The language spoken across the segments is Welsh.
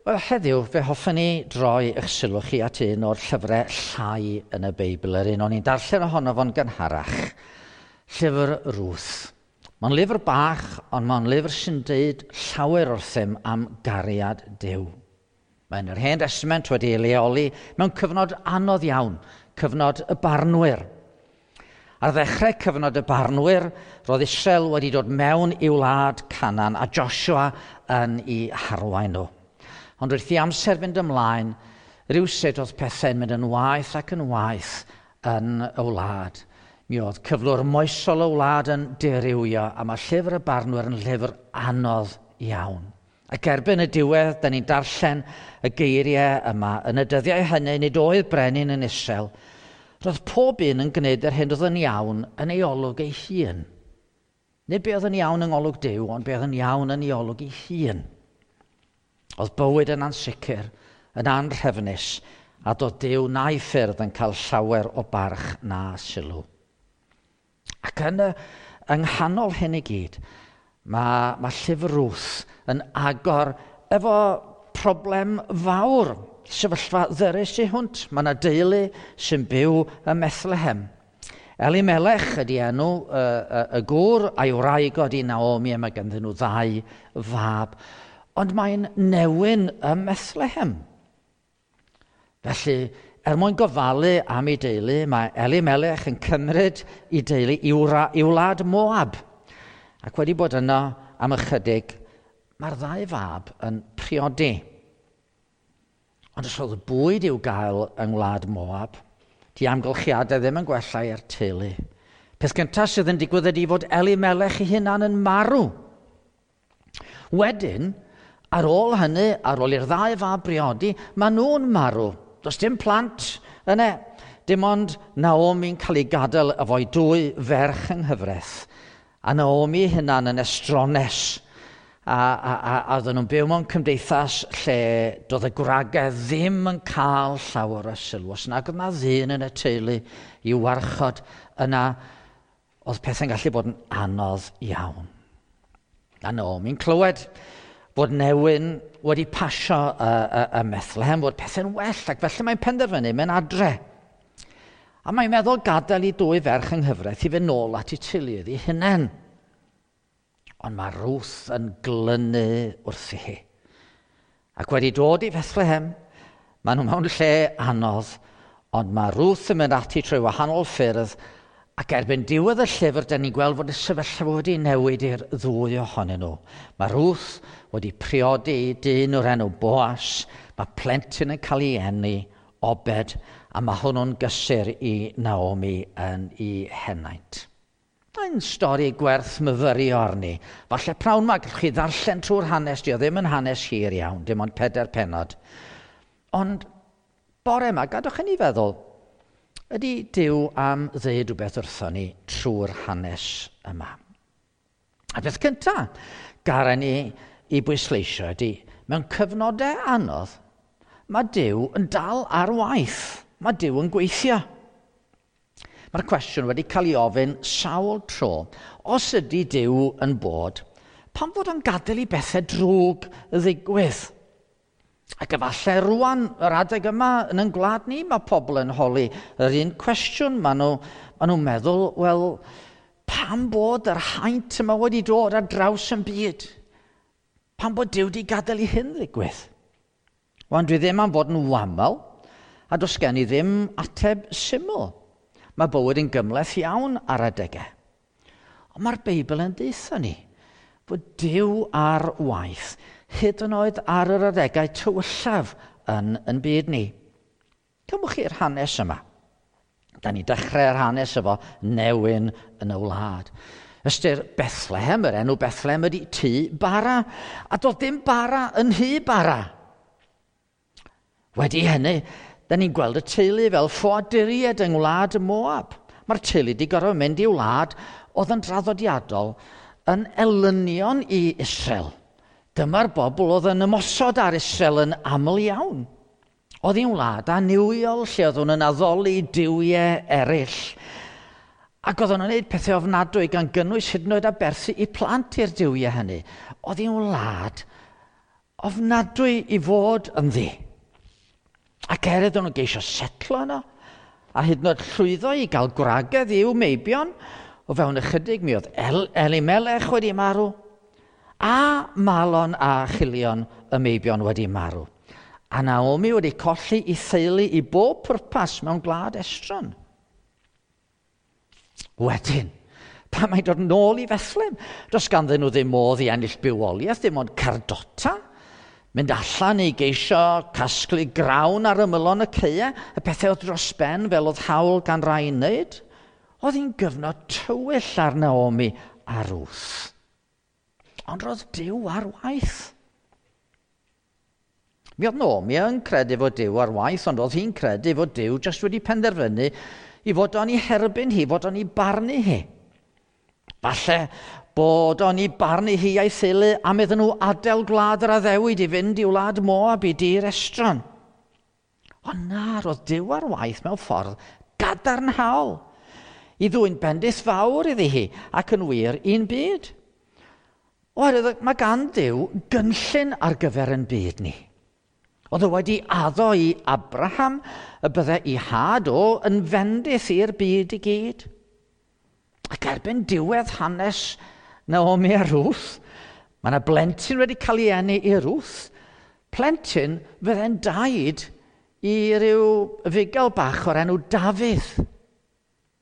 Wel, heddiw, fe hoffwn i droi eich sylw chi at un o'r llyfrau llai yn y Beibl, yr un o'n i'n darllen ohono fo'n gynharach, llyfr Ruth. Mae'n lyfr bach, ond mae'n lyfr sy'n deud llawer wrthym am gariad Duw. Mae'n yr Hen Testament wedi ei leoli mewn cyfnod anodd iawn, cyfnod y barnwyr. Ar ddechrau cyfnod y barnwyr, roedd Israel wedi dod mewn i'w wlad Canaan a Joshua yn ei harwain nhw. Ond wrth i amser fynd ymlaen, rhywsut oedd pethau'n mynd yn waeth ac yn waeth yn y wlad. Mi oedd cyflwr moesol y wlad yn dirywio, a mae llyfr y barnwyr yn llyfr anodd iawn. Ac erbyn y diwedd, da ni'n darllen y geiriau yma. Yn y dyddiau hynny, nid oedd brenin yn Israel. Roedd pob un yn gwneud yr hyn oedd yn iawn yn ei olwg ei hun. Nid be oedd yn iawn yng ngolwg Duw, ond be oedd yn iawn yn ei olwg ei hun. Oedd bywyd yn ansicr, yn anrhefnus, a doedd Duw na'i ffyrdd yn cael llawer o barch na sylw. Ac yn y, yng nghanol hyn i gyd, mae, mae llyfr Ruth yn agor efo problem fawr, sefyllfa ddyrus i hwnt. Mae yna deulu sy'n byw ym Methlehem. Elimelech ydy enw y, y, y gŵr a'i wraig ydy Naomi a mae ganddyn nhw ddau fab. Ond mae'n newyn ym Methlehem. Felly, er mwyn gofalu am ei deulu, mae Elimelech yn cymryd ei deulu i wlad Moab. Ac wedi bod yno am ychydig, mae'r ddau fab yn priodi. Ond os oedd bwyd i'w gael yng ngwlad Moab, di amgylchiadau ddim yn gwella i'r teulu. Peth gyntaf sydd yn digwydd ydy fod Elimelech ei hunan yn marw. Wedyn, ar ôl hynny, ar ôl i'r ddau fab briodi, maen nhw'n marw. Does dim plant yna. Dim ond Naomi'n cael ei gadael efo'i dwy ferch yng nghyfraith. A Naomi hunan yn estrones. A, a, a, a oedden nhw'n byw mewn cymdeithas lle doedd y gwragedd ddim yn cael llawer o sylw. Os nag oedd na ddyn yn y teulu i warchod yna, oedd pethau'n gallu bod yn anodd iawn. A Naomi'n clywed bod newyn wedi pasio y, y, y Methlehem, bod pethau'n well, ac felly mae'n penderfynu mynd adre. A mae'n meddwl gadael i dwy ferch yng nghyfraith i fynd nôl at ei teuluoedd ei hunain. Ond mae Ruth yn glynu wrthi hi. Ac wedi dod i Bethlehem, maen nhw mewn lle anodd, ond mae Ruth yn mynd ati trwy wahanol ffyrdd, ac erbyn diwedd y llyfr, da ni'n gweld fod y sefyllfa wedi newid i'r ddwy ohonyn nhw. Mae Ruth wedi priodi dyn o'r enw Boas, mae plentyn yn cael ei eni, Obed, a mae hwnnw'n gysur i Naomi yn ei henaint. Mae'n stori gwerth myfyrio arni. Falle prawn ma, gallwch chi ddarllen trwy'r hanes, di o ddim yn hanes hir iawn, dim ond pedair pennod. Ond bore yma, gadwch i ni feddwl, ydy Duw am ddeud rhywbeth wrthon ni trwy'r hanes yma. A beth cyntaf, garen ni i bwysleisio ydy, mewn cyfnodau anodd, mae Duw yn dal ar waith. Mae Duw yn gweithio. Mae'r cwestiwn wedi cael ei ofyn sawl tro. Os ydy Duw yn bod, pam fod o'n gadael i bethau drwg ddigwydd? Ac efallai rwan, yr adeg yma yn ein gwlad ni, mae pobl yn holi yr un cwestiwn. Maen nhw, maen nhw'n meddwl, wel, pam bod yr haint yma wedi dod ar draws yn byd? Pam bod Duw wedi gadael i hyn ddigwydd? Wan, dwi ddim am fod yn wamal, a does gen i ddim ateb syml. Mae bywyd yn gymhleth iawn ar adegau. Ond mae'r Beibl yn deutha ni fod Duw ar waith, hyd yn oed ar yr adegau tywyllaf yn, yn byd ni. Cymwch chi'r hanes yma. Da ni dechrau'r hanes efo newyn yn y wlad. Ystyr Bethlehem, yr enw Bethlehem ydy tŷ bara, a doedd dim bara yn nhŷ bara. Wedi hynny, da ni'n gweld y teulu fel ffoaduriaid yng ngwlad y Moab. Mae'r teulu wedi gorfod mynd i wlad oedd yn draddodiadol yn elynion i Israel. Dyma'r bobl oedd yn ymosod ar Israel yn aml iawn. Oedd hi'n wlad annuwiol lle oedd nhw'n addoli duwiau eraill. Ac oedd nhw'n gwneud pethau ofnadwy gan gynnwys hyd yn oed aberthu i plant i'r duwiau hynny. Oedd hi'n wlad ofnadwy i fod ynddi. Ac er iddyn nhw geisio setlo yno, a hyd yn oed llwyddo i gael gwragedd i'w meibion, o fewn ychydig mi oedd Elimelech wedi marw, a Malon a Chilion y meibion wedi marw. A Naomi wedi colli ei theulu i bob pwrpas mewn gwlad estron. Wedyn, pan mae'n dod nôl i Fethlem, does ganddyn nhw ddim modd i ennill bywoliaeth, dim ond cardota, mynd allan i geisio casglu grawn ar ymylon y caeau, y pethau oedd dros ben fel oedd hawl gan rai i wneud. Oedd hi'n gyfnod tywyll ar Naomi a Ruth. Ond roedd Duw ar waith. Mi oedd Naomi yn credu fod Duw ar waith, ond oedd hi'n credu fod Duw jyst wedi penderfynu i fod o'n ei herbyn hi, fod o'n ei barnu hi. Falle bod o'n ei barnu hi a'i theulu am iddyn nhw adael gwlad yr addewid i fynd i wlad Moab i dir estron. Ond na, roedd Duw ar waith mewn ffordd gadarnhaol i ddwyn bendith fawr iddi hi ac yn wir i'n byd. Oherwydd mae gan Dduw gynllun ar gyfer yn byd ni. Oedd o wedi addo i Abraham y bydde ei had o yn fendith i'r byd i gyd. Ac erbyn diwedd hanes Naomi a Ruth, mae yna blentyn wedi cael ei eni i Ruth. Plentyn fydde'n daid i ryw fugail bach o'r enw Dafydd.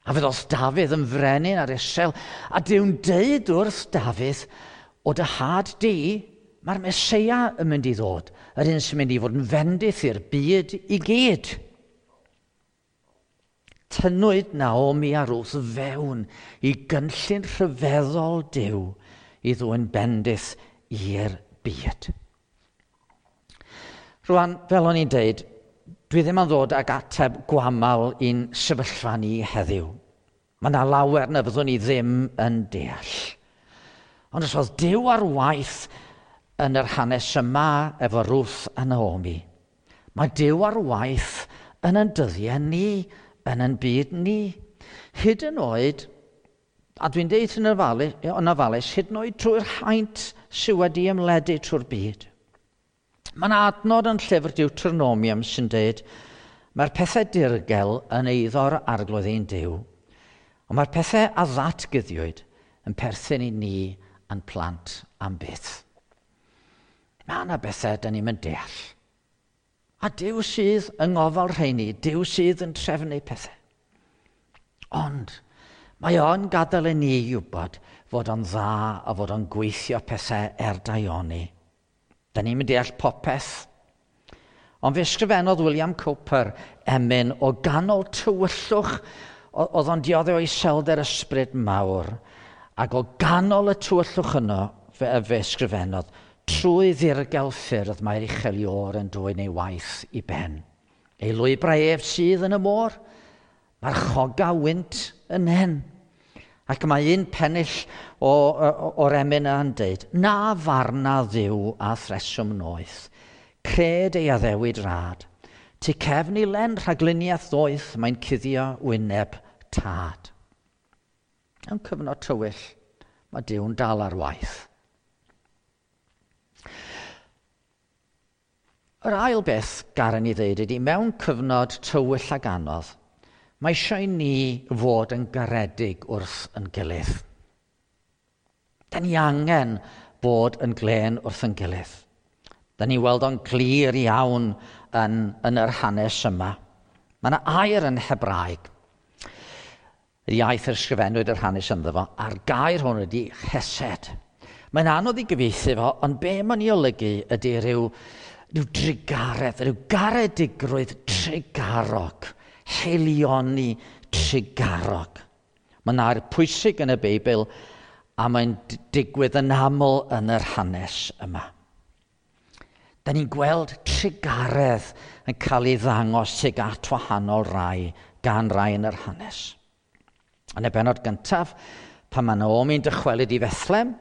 A fe ddoth Dafydd yn frenin ar Israel, a Duw'n deud wrth Dafydd, o dy had di, mae'r Meseia yn mynd i ddod, yr un sy'n mynd i fod yn fendith i'r byd i gyd. Tynnwyd Naomi a Ruth fewn i gynllun rhyfeddol Duw i ddwyn bendith i'r byd. Rwan, fel o'n i'n deud, dwi ddim yn ddod ag ateb gwamal i'n sefyllfa ni heddiw. Mae yna lawer na fyddwn ni ddim yn deall. Ond os oedd Duw ar waith yn yr hanes yma efo Ruth a Naomi, mae Duw ar waith yn ein dyddiau ni, yn ein byd ni. Hyd yn oed, a dwi'n deud yn ofalus, hyd yn oed trwy'r haint sydd wedi ymledu trwy'r byd. Mae yna adnod yn llyfr Deuteronomium sy'n deud, mae'r pethau dirgel yn eiddo'r arglwydd ein Duw, ond mae'r pethau a ddatguddiwyd yn perthyn i ni a'n plant am byth. Mae yna bethau da ni'n mynd deall. A Duw sydd yng ngofal rheini, Duw sydd yn trefnu pethau. Ond mae o'n gadael i ni i wybod fod o'n dda a fod o'n gweithio pethau er daioni. Da ni'n mynd deall popeth. Ond fe ysgrifennodd William Cowper emyn o ganol tywyllwch, oedd o'n dioddef o iselder ysbryd mawr, ac o ganol y tywyllwch yno fe ysgrifennodd, trwy ddirgel ffyrdd mae'r uchel Iôr yn dwyn ei waith i ben. Ei lwybrau ef sydd yn y môr, mae'r choga wynt yn hen. Ac mae un pennill o'r emyn yna'n deud, na farna Dduw a threswm noeth, cred ei addewid rad. Tu cefn i len rhagluniaeth ddoeth, mae'n cuddio wyneb tad. Mewn cyfnod tywyll, mae Duw'n dal ar waith. Yr ail beth garen i ddeud ydy, mewn cyfnod tywyll ac anodd, mae eisiau i ni fod yn garedig wrth yn gilydd. Da ni angen bod yn glên wrth yn gilydd. Da ni weld o'n glir iawn yn yr hanes yma. Mae yna air yn Hebraeg. Yr iaith yr ysgrifennwyd yr hanes ynddo fo, a'r gair hwn ydy chesed. Mae'n anodd i gyfieithu fo, ond be mae'n ei olygu ydy rhyw drugaredd, rhyw garedigrwydd trugarog, haelioni trugarog. Mae'n air pwysig yn y Beibl a mae'n digwydd yn aml yn yr hanes yma. Da ni'n gweld trugaredd yn cael ei ddangos tuag at wahanol rai gan rai yn yr hanes. Yn y bennod gyntaf, pan mae Naomi'n dychwelyd i Fethlem,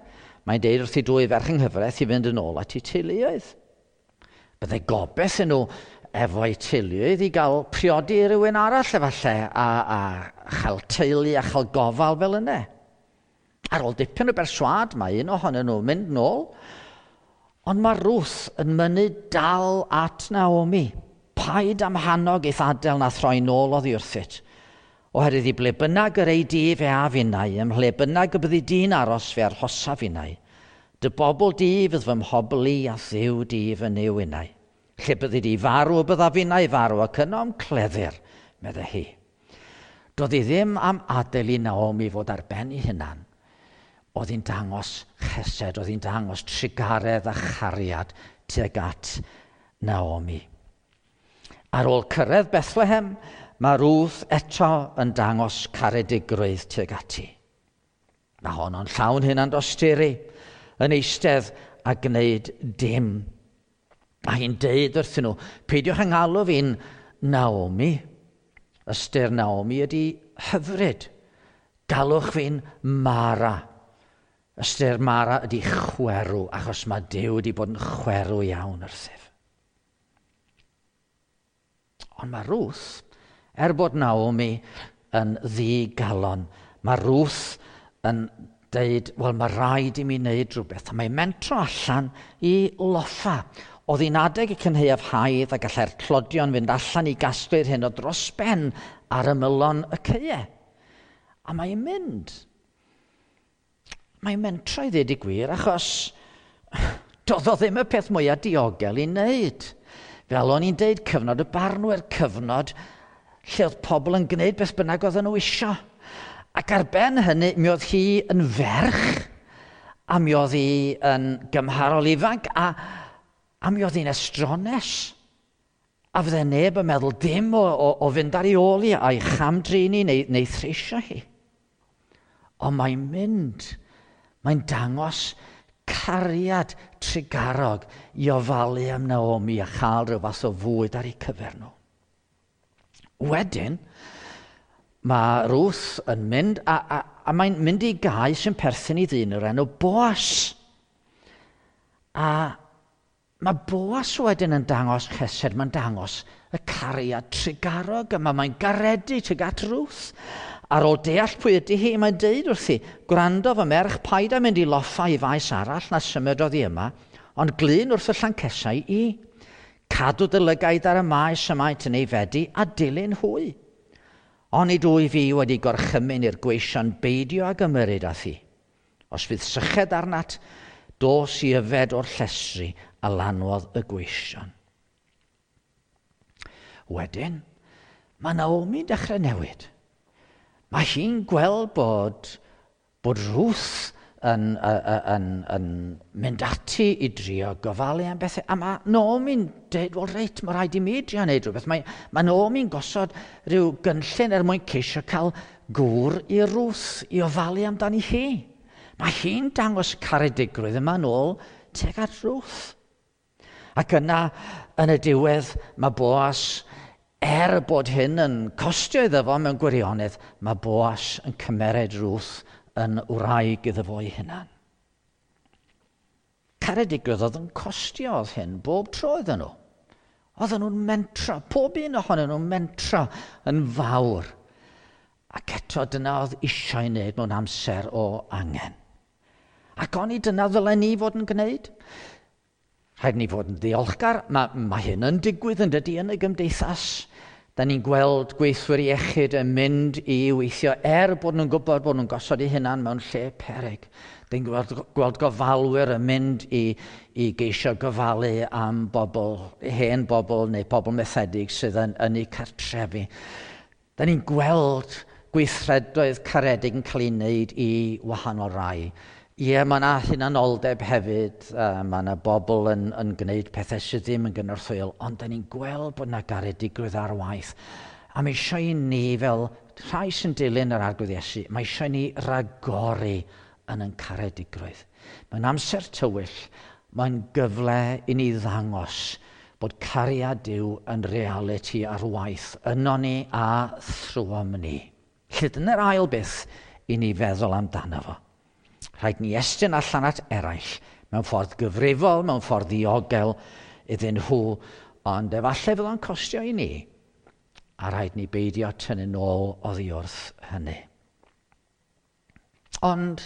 mae'n deud wrth ei dwy ferch yng nghyfraith i fynd yn ôl at eu teuluoedd. Byddai gobeith yn nhw efo'u teuluoedd i gael priodi rhywun arall efallai a chael teulu a chael gofal fel yna. Ar ôl dipyn o berswâd, mae un ohonyn nhw'n mynd nôl, Ond mae Ruth yn mynnu dal at Naomi. Paid am hanog eith adael na throi nôl oddi wrthyt. Oherwydd i ble bynnag yr ei di fe a finnau, ym mhle bynnag y byddi di'n aros fe arhosa finnau. Dy bobl di fydd fy mhobl i a Dduw di fy Nuw innau. Lle byddi di farw y bydda finnau farw ac yno am cleddir, meddai hi. Doedd hi ddim am adael i Naomi fod ar ben ei hunan. Oedd hi'n dangos chesed, oedd hi'n dangos trugaredd a chariad tuag at Naomi. Ar ôl cyrraedd Bethlehem, mae Ruth eto yn dangos caredigrwydd tuag ati. Mae honno'n llawn hynna'n dosturi, yn eistedd a gwneud dim. A hi'n deud wrthyn nhw, peidiwch yng ngalw fi'n Naomi. Ystyr Naomi ydy hyfryd. Galwch fi'n Mara. Ystyr Mara ydy chwerw, achos mae Duw wedi bod yn chwerw iawn wrthyf. Ond mae Ruth, er bod Naomi yn ddigalon, mae Ruth yn deud, wel, mae rhaid i mi wneud rhywbeth. A mae'n mentro allan i loffa. Oedd hi'n adeg y cynhaeaf haidd a gallai'r tlodion fynd allan i gasglu'r hyn o dros ben ar ymylon y caeau. A mae'n mynd. Mae'n mentro i ddweud y gwir, achos doedd o ddim y peth mwyaf diogel i wneud. Fel o'n i'n deud, cyfnod y barnwyr, cyfnod lle oedd pobl yn gwneud beth bynnag oedden nhw isio. Ac ar ben hynny, mi oedd hi yn ferch, a mi oedd hi yn gymharol ifanc, a mi oedd hi'n estrones. A fydde neb yn meddwl dim o fynd ar ei ôl hi a'i chamdrin hi neu threisio hi. Ond mae'n mynd, mae'n dangos cariad trugarog i ofalu am Naomi a chael rhyw fath o fwyd ar eu cyfer nhw. Wedyn, mae Ruth yn mynd, a mae'n mynd i gae sy'n perthyn i ddyn o'r enw Boas. A mae Boas wedyn yn dangos chesed, mae'n dangos y cariad trugarog yma, mae'n garedu tuag at Ruth. Ar ôl deall pwy ydy hi, mae'n deud wrthi, gwrando fy merch, paid â mynd i loffa i faes arall na symud oddi yma, ond glyn wrth y llancesau i. Cadw dy lygaid ar y maes y maent yn ei fedi a dilyn hwy. Onid wyf fi wedi gorchymyn i'r gweision beidio ag ymyrryd â thi. Os fydd syched arnat, dos i yfed o'r llestri a lanwodd y gweision. Wedyn, mae Naomi'n dechrau newid. Mae hi'n gweld bod Ruth yn mynd ati i drio gofalu am bethau. A mae Naomi'n dweud, wel reit, mae rhaid i mi drio wneud rhywbeth. Mae Naomi'n gosod rhyw gynllun er mwyn ceisio cael gŵr i Ruth i ofalu amdani hi. Mae hi'n dangos caredigrwydd yma nôl tuag at Ruth. Ac yna, yn y diwedd, mae Boas, er bod hyn yn costio iddo fo mewn gwirionedd, mae Boas yn cymered Ruth yn wraig iddo fo ei hunan. Caredigrwydd oedd yn costio oedd hyn bob tro iddyn nhw. Oedden nhw'n mentro, pob un ohonyn nhw'n mentro yn fawr. Ac eto dyna oedd eisiau ei wneud mewn amser o angen. Ac oni dyna ddylen ni fod yn gwneud? Rhaid ni fod yn ddiolchgar. Mae hyn yn digwydd yn dydy yn y gymdeithas. Da ni'n gweld gweithwyr iechyd yn mynd i weithio er bod nhw'n gwybod bod nhw'n gosod eu hunan mewn lle peryg. Da ni'n gweld gofalwyr yn mynd i geisio gofalu am bobl, hen bobl neu bobl methedig sydd yn eu cartrefi. Da ni'n gweld gweithredoedd caredig yn cael ei wneud i wahanol rai. Ie, mae yna hunanoldeb hefyd, mae yna bobl yn gwneud pethau sydd ddim yn gynorthwyol, ond da ni'n gweld bod yna garedigrwydd ar waith. A mae eisiau i ni fel rhai sy'n dilyn yr Arglwydd Iesu, mae eisiau i ni ragori yn ein caredigrwydd. Mae'n amser tywyll, mae'n gyfle i ni ddangos bod cariad Duw yn realiti ar waith yno ni a thrwom ni. Lle dyna'r ail beth i ni feddwl amdano fo. Rhaid ni estyn allan at eraill mewn ffordd gyfrifol, mewn ffordd ddiogel iddyn nhw, ond efallai fydd o'n costio i ni, a rhaid ni beidio tynnu nôl oddi wrth hynny. Ond,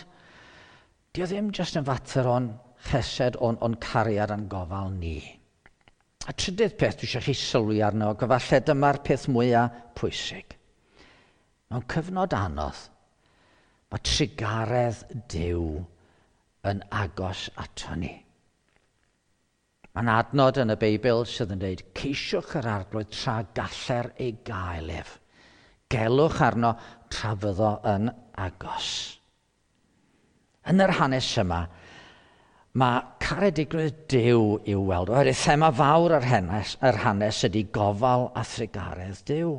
dio ddim jyst yn fater o'n chesed, o'n cariad a'n gofal ni. A trydydd peth dwi eisiau chi sylwi arno, ac efallai dyma'r peth mwyaf pwysig. Mewn cyfnod anodd, mae trugaredd Duw yn agos ato ni. Mae'n adnod yn y Beibl sydd yn dweud, ceisiwch yr Arglwydd tra galler ei gael ef. Gelwch arno tra fyddo yn agos. Yn yr hanes yma, mae caredigrwydd Duw i'w weld. Oherwydd thema fawr yr hanes ydy gofal a thrugaredd Duw.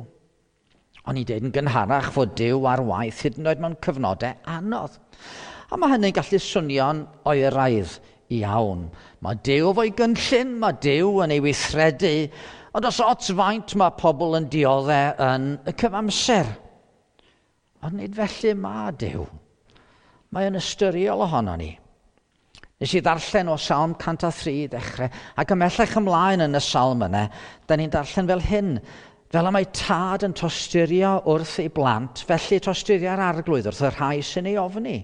O'n i'n dweud yn gynharach fod Duw ar waith hyd yn oed mewn cyfnodau anodd. A mae hynny'n gallu swnio'n oeraidd iawn. Mae Duw efo'i gynllun, mae Duw yn ei weithredu, ond os ots faint mae pobl yn dioddef yn y cyfamser. Ond nid felly mae Duw. Mae yn ystyriol ohono ni. Nes i ddarllen o Salm 103 i ddechrau, ac ymhellach ymlaen yn y salm yna, da ni'n darllen fel hyn, fel y mae tad yn tosturio wrth ei blant, felly tosturia'r Arglwydd wrth y rhai sy'n ei ofni.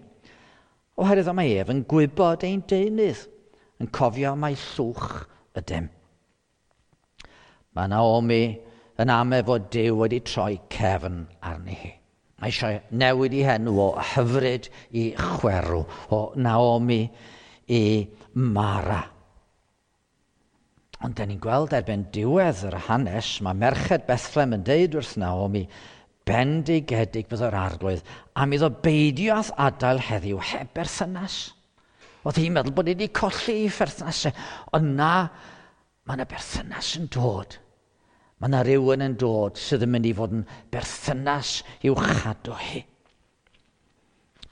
Oherwydd mae ef yn gwybod ein deunydd, yn cofio mai llwch ydym. Mae Naomi yn ame fod Duw wedi troi cefn arni hi. Mae eisiau newid ei henw o hyfryd i chwerw, o Naomi i Mara. Ond da ni'n gweld erbyn diwedd yr hanes, mae merched Bethlehem yn deud wrth Naomi, bendigedig bydd yr Arglwydd, am iddo beidio â'th adael heddiw heb berthynas. Oedd hi'n meddwl bod hi wedi colli ei pherthnasau, ond na, mae yna berthynas yn dod. Mae yna rhywun yn dod sydd yn mynd i fod yn berthynas i'w chadw hi.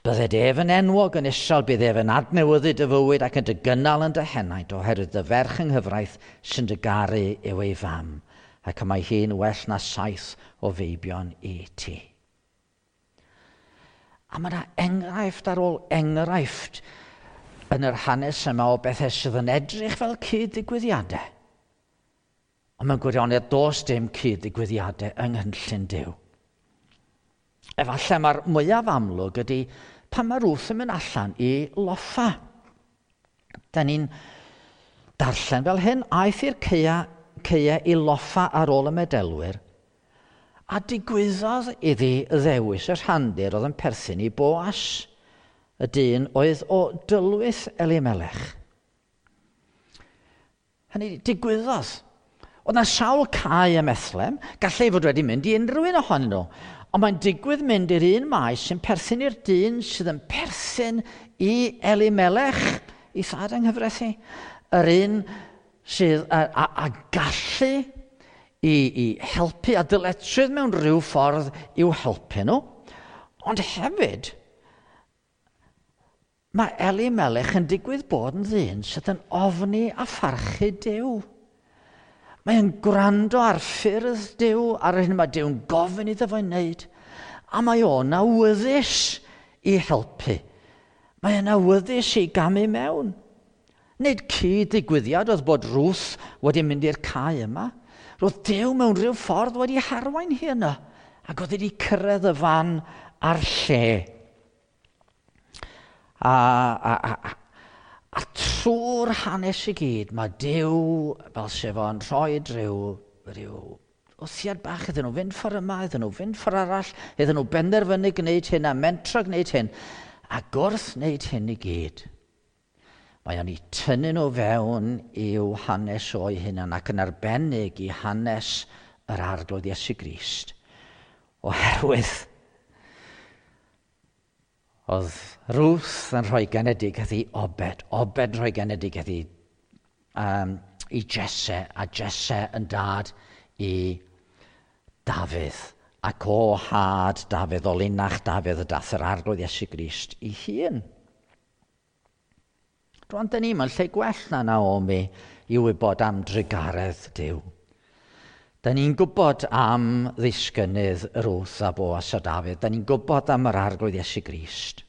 Bydded ef yn enwog yn Israel, bydd ef yn adnewyddu dy fywyd ac yn dy gynnal yn dy henaid, oherwydd dy ferch yng nghyfraith sy'n dy garu yw ei fam, ac y mae hi'n well na 7 o feibion i ti. A mae yna enghraifft ar ôl enghraifft yn yr hanes yma o bethau sydd yn edrych fel cyd-ddigwyddiadau. Ond mewn gwirionedd does dim cyd-ddigwyddiadau yng nghynllun Duw. Efallai mae'r mwyaf amlwg ydy pan mae Ruth yn mynd allan i loffa. Da ni'n darllen fel hyn, aeth i'r caeau i loffa ar ôl y medelwyr, a digwyddodd iddi ddewis y rhandir oedd yn perthyn i Boas, y dyn oedd o dylwyth Elimelech. Hynny, digwyddodd. Oedd na sawl cae ym Methlehem, gallai fod wedi mynd i unrhyw un ohonyn nhw, ond mae'n digwydd mynd i'r un maes sy'n perthyn i'r dyn sydd yn perthyn i Elimelech, i thad yng nghyfraith hi, yr un sydd a gallu i helpu a dyletswydd mewn rhyw ffordd i'w helpu nhw. Ond hefyd, mae Elimelech yn digwydd bod yn ddyn sydd yn ofni a pharchu Duw. Mae yn gwrando ar ffyrdd Duw, ar yr hyn mae Duw'n gofyn iddo fo'i wneud, a mae o'n awyddus i helpu. Mae o'n awyddus i gamu mewn. Nid cyd-ddigwyddiad oedd bod Ruth wedi mynd i'r cae yma. Roedd Duw mewn rhyw ffordd wedi harwain hi yno, ac oedd wedi cyrraedd y fan a'r lle. A trwy'r hanes i gyd, mae Duw, fel sef o'n rhoi rhyw wthiad bach iddyn nhw fynd ffordd yma, iddyn nhw fynd ffordd arall, iddyn nhw benderfynu gwneud hyn a mentro gwneud hyn, a gwrth wneud hyn i gyd. Mae o'n eu tynnu nhw fewn i'w hanes o'i hunan ac yn arbennig i hanes yr Arglwydd Iesu Grist. Oherwydd oedd Ruth yn rhoi genedigaeth i Obed, Obed yn rhoi genedigaeth i Jesse, a Jesse yn dad i Dafydd. Ac o had Dafydd, o linach Dafydd, y dath yr Arglwydd Iesu Grist i hun. Rwan, dyn ni mewn lle gwell na Naomi i wybod am drugaredd Duw. Dyn ni'n gwybod am ddisgynnydd Ruth a Boas a Dafydd. Dyn ni'n gwybod am yr Arglwydd Iesu Grist.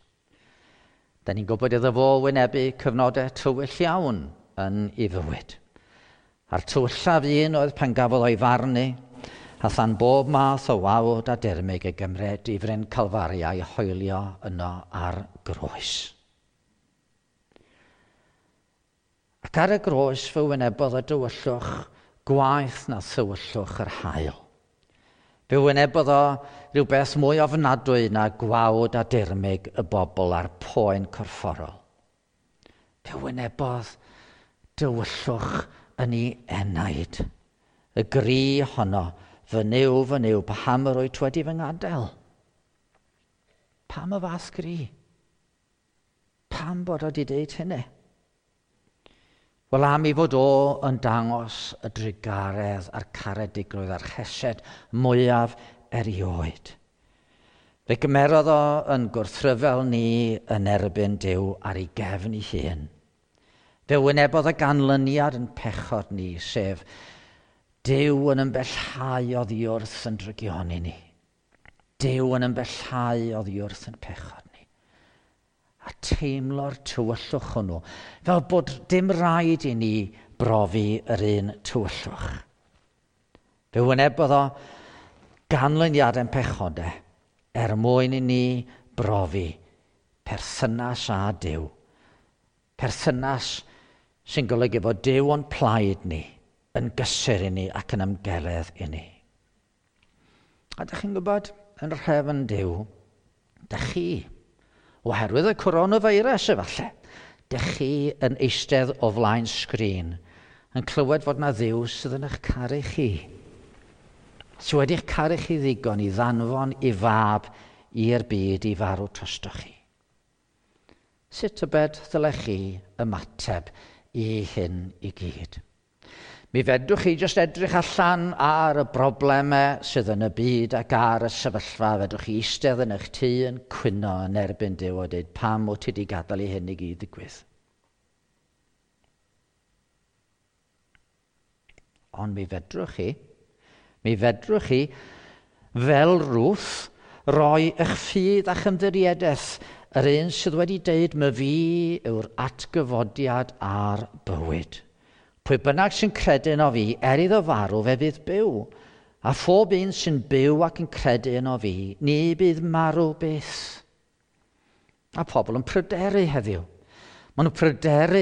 Dyn ni'n gwybod iddo fo wynebu cyfnodau tywyll iawn yn ei fywyd. A'r tywyllaf un oedd pan gafodd o'i farnu, a than bob math o wawd a dirmyg ei gymryd i fryn Calfaria a'i hoelio yno ar groes. Ac ar y groes fe wynebodd y dywyllwch gwaeth na thywyllwch yr haul. Fe wynebodd o rhywbeth mwy ofnadwy na gwawd a dirmyg y bobl a'r poen corfforol. Fe wynebodd dywyllwch yn ei enaid. Y gri honno, fy Nuw, fy Nuw, paham yr wyt wedi fy ngadael? Pam y fath gri? Pam bod o wedi deud hynny? Wel, am ei fod o yn dangos y drugaredd a'r caredigrwydd a'r chesed mwyaf erioed. Fe gymerodd o yn gwrthryfel ni yn erbyn Duw ar ei gefn ei hun. Fe wynebodd y ganlyniad yn pechod ni, sef Duw yn ymbellhau oddi wrth yn drygioni ni. Duw yn ymbellhau oddi wrth yn pechod ni. A teimlo'r tywyllwch hwnnw, fel bod dim rhaid i ni brofi yr un tywyllwch. Fe wynebodd o ganlyniadau'n pechodau er mwyn i ni brofi perthynas â Duw. Perthynas sy'n golygu bod Duw o'n plaid ni, yn gysur i ni ac yn ymgeledd i ni. A dych chi'n gwybod, yn rhefn Duw, dych chi, oherwydd y coronavirus efallai, dych chi yn eistedd o flaen sgrin yn clywed fod na Dduw sydd yn eich caru chi. Sydd wedi'ch caru chi ddigon i ddanfon i fab i'r byd i farw drostoch chi. Sut tybed ddylech chi ymateb i hyn i gyd? Mi fedrwch chi jyst edrych allan ar y broblemau sydd yn y byd ac ar y sefyllfa. Fedrwch chi eistedd yn eich tŷ yn cwyno yn erbyn Duw a dweud pam wyt ti wedi gadael i hyn i gyd ddigwydd. Ond mi fedrwch chi, fel Ruth, roi eich ffydd a'ch ymddiriedaeth yr un sydd wedi deud my fi yw'r atgyfodiad a'r bywyd. Pwy bynnag sy'n credu yno fi, er iddo farw, fe fydd byw. A phob un sy'n byw ac yn credu yno fi, ni bydd marw byth. A pobl yn pryderu heddiw. Maen nhw'n pryderu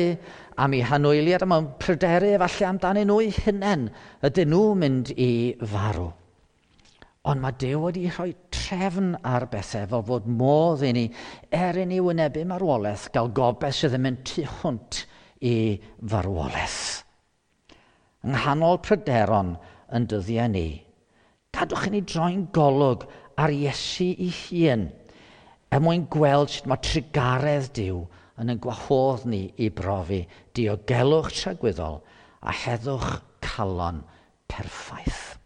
am eu hanwyliad, a maen nhw'n pryderu efallai amdanyn nhw eu hunain. Ydyn nhw'n mynd i farw? Ond mae Duw wedi rhoi trefn ar bethau fel fod modd i ni, er i ni wynebu marwolaeth, gael gobaith sydd yn mynd tu hwnt i farwolaeth. Yng nghanol pryderon yn dyddiau ni, gadwch i ni droi'n golwg ar Iesu ei hun, er mwyn gweld sut mae trugaredd Duw yn ein gwahodd ni i brofi diogelwch tragwyddol a heddwch calon perffaith.